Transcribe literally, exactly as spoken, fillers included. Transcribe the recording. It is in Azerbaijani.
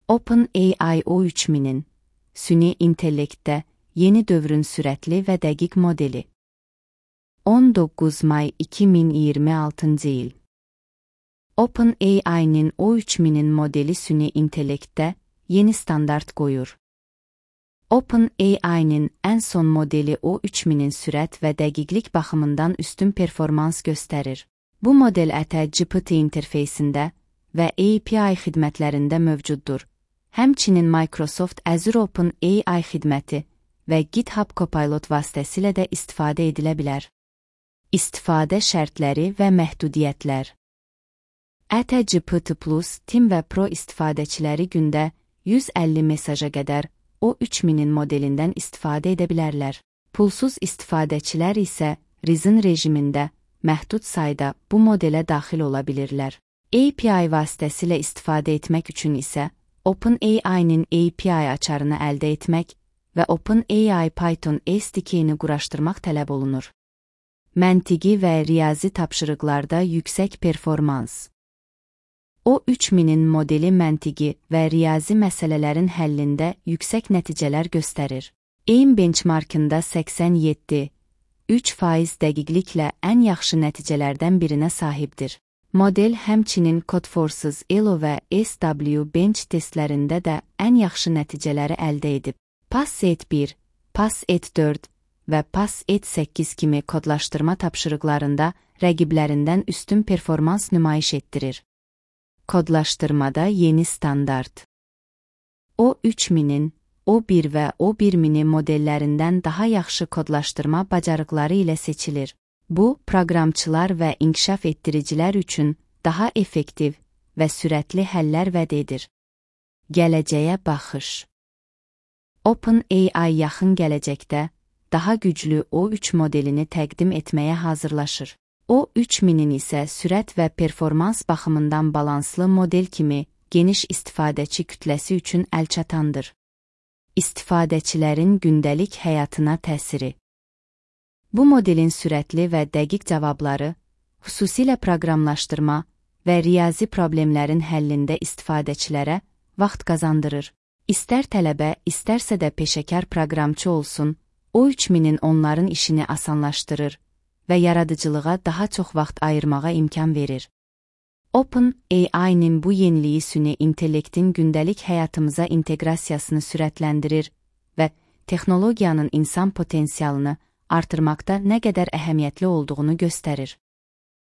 OpenAI O üç minin süni intellektdə yeni dövrün sürətli və dəqiq modeli. on doqquz may iki min iyirmi altıncı il. OpenAI'nin O üç minin modeli süni intellektdə yeni standart qoyur. OpenAI'nin ən son modeli O üç minin sürət və dəqiqlik baxımından üstün performans göstərir. Bu model ətə G P T interfeysində və A P I xidmətlərində mövcuddur. Həmçinin Microsoft Azure OpenAI xidməti və GitHub Copilot vasitəsilə də istifadə edilə bilər. İstifadə şərtləri və məhdudiyyətlər. ətə G P T Plus, Team və Pro istifadəçiləri gündə yüz əlli mesaja qədər O üç minin modelindən istifadə edə bilərlər. Pulsuz istifadəçilər isə Reason rejimində məhdud sayda bu modelə daxil ola bilirlər. A P I vasitəsilə istifadə etmək üçün isə OpenAI'nin A P I açarını əldə etmək və OpenAI Python S D K-ni quraşdırmaq tələb olunur. Məntiqi və riyazi tapşırıqlarda yüksək performans. O üç minin modeli məntiqi və riyazi məsələlərin həllində yüksək nəticələr göstərir. AIM benchmarkında səksən yeddi nöqtə üç faiz dəqiqliklə ən yaxşı nəticələrdən birinə sahibdir. Model həmçinin Codeforces Elo və S W Bench testlərində də ən yaxşı nəticələri əldə edib. PassET bir, PassET dörd və PassET səkkiz kimi kodlaşdırma tapşırıqlarında rəqiblərindən üstün performans nümayiş etdirir. Kodlaşdırmada yeni standart. O üç minin, O bir və O bir mini modellərindən daha yaxşı kodlaşdırma bacarıqları ilə seçilir. Bu, proqramçılar və inkişaf etdiricilər üçün daha effektiv və sürətli həllər vəd edir. Gələcəyə baxış. OpenAI yaxın gələcəkdə daha güclü O üç modelini təqdim etməyə hazırlaşır. O üç minin isə sürət və performans baxımından balanslı model kimi geniş istifadəçi kütləsi üçün əlçatandır. İstifadəçilərin gündəlik həyatına təsiri. Bu modelin sürətli və dəqiq cavabları, xüsusilə proqramlaşdırma və riyazi problemlərin həllində istifadəçilərə vaxt qazandırır. İstər tələbə, istərsə də peşəkar proqramçı olsun, O üç minin onların işini asanlaşdırır və yaradıcılığa daha çox vaxt ayırmağa imkan verir. OpenAI'nin bu yeniliyi süni intellektin gündəlik həyatımıza inteqrasiyasını sürətləndirir və texnologiyanın insan potensialını artırmaqda nə qədər əhəmiyyətli olduğunu göstərir.